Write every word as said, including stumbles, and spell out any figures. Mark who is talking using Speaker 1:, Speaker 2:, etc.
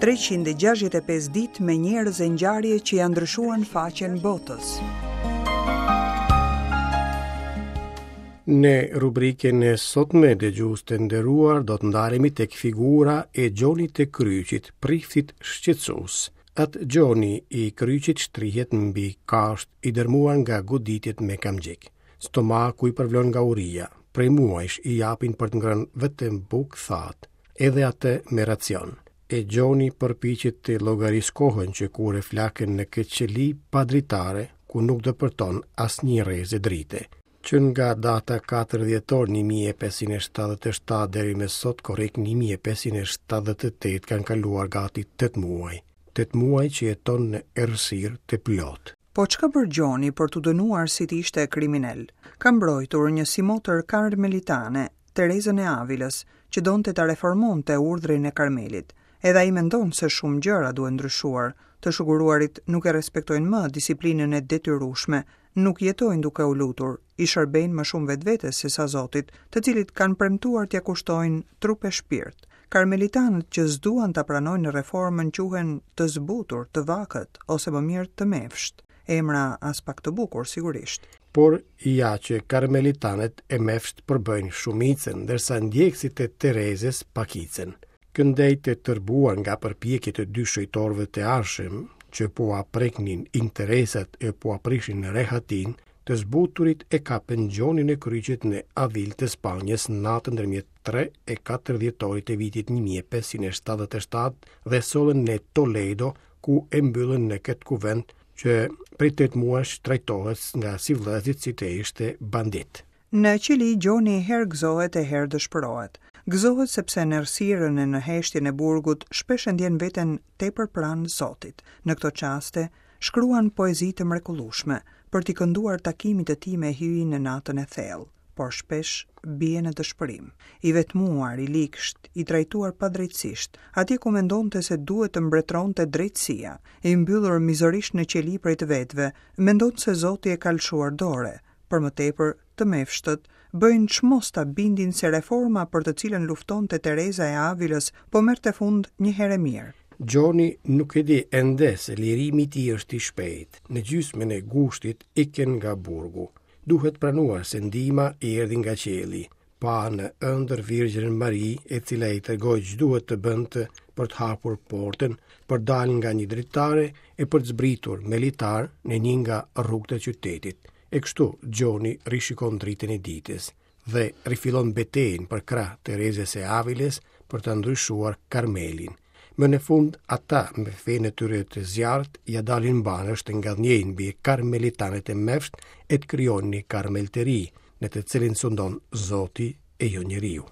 Speaker 1: treqind e gjashtëdhjetë e pesë ditë me njerëz e ngjarje që janë ndryshuar faqen botës.
Speaker 2: Në rubrikën e sotme dëgjues të nderuar do të ndalemi tek figura e Gjonit të Kryqit, priftit shqetësues. Atë Gjoni i Kryqit shtrihet mbi kasht i dërmuar nga goditjet me kamxhik. Stomaku i përvlon nga uria. Prej muajsh i japin për të ngrënë vetëm bukë thatë, edhe atë me racion. E Gjoni përpiqet të llogaris kohën që kur e flakën në këtë qeli pa dritare, ku nuk depërton asnjë rreze drite. Që nga data katër dhjetor një mijë e pesëqind e shtatëdhjetë e shtatë deri më sot korrik një mijë e pesëqind e shtatëdhjetë e tetë kanë kaluar gati tetë muaj. Tetë muaj që jeton në errësirë të plotë.
Speaker 1: Po çka bër Gjoni për t'u dënuar si të ishte kriminal? Ka mbrojtur një simotër karmelitane, Terezën e Avilës, që donte ta reformonte urdhrin e Karmelit. Edhe ai mendon se shumë gjëra duhen ndryshuar. Të shuguruarit nuk e respektojnë më disiplinën e detyrueshme, nuk jetojnë duke u lutur, i shërbejnë më shumë vetvetes se sa Zotit, të cilit kanë premtuar t'ia kushtojnë trup e shpirt. Karmelitanët që s'duan ta pranojnë reformën quhen të zbutur, të vakët ose më mirë të mefsht. Emra as pak të bukur, sigurisht.
Speaker 2: Por ja që karmelitanët e mefsht përbëjnë shumicën, ndërsa ndjekësit e Terezës pakicën. Këndej të tërbuar nga përpjekjet e dy shëjtorëve të arshëm, që po a preknin interesat e po a prishin rehatin, të zbuturit e kapën Gjonin e Kryqit në Avil të Spanjës natën ndërmjet tre e katër dhjetorit të vitit një mijë e pesëqind e shtatëdhjetë e shtatë dhe sollën në Toledo, ku e mbyllën në këtë kuvent që prej tetë muajsh trajtohet nga sivllezit si të ishte bandit.
Speaker 1: Në qeli Gjoni herë gëzohet e herë dëshpërohet. Gëzohet sepse në errësirën e në heshtjen e burgut shpesh e ndjen veten tepër pranë Zotit. Në këto çaste shkruan poezi të mrekullueshme për t'i kënduar takimit të tij me Hyjin në natën e thellë, por shpesh bie në dëshpërim. I vetmuar, i liksht, i trajtuar padrejtësisht, atje ku mendonte se duhet të mbretëronte drejtësia, i mbyllur mizorisht në qeli prej të vetëve, mendon se Zoti e ka lëshuar dore. Për më tepër, të mefshtët bëjnë çmos ta bindin se reforma për të cilën luftonte Tereza e Avilës po merrte fund një herë e mirë.
Speaker 2: Gjoni nuk e di ende se lirimi i tij është i shpejtë. Në gjysmën e gushtit ikën nga burgu. Duhet pranuar se ndihma i erdhi nga qielli. Pa në ëndër Virgjërën Mari, e cila i tregoi ç'duhet të bënte për të hapur portën, për dalë nga një dritare e për të zbritur me litar në një nga rrugët e qytetit. E kështu Gjoni rishikon dritën e ditës dhe rifillon betejën për krah Terezës së Avilës për të ndryshuar Karmelin. Më në fund, ata me fenë e tyre të zjarrt ja dalin mbanësh të ngadhnjejnë mbi karmelitanët e mefsht e të krijojnë një karmel të ri, në të cilin sundon Zoti e jo njeriu.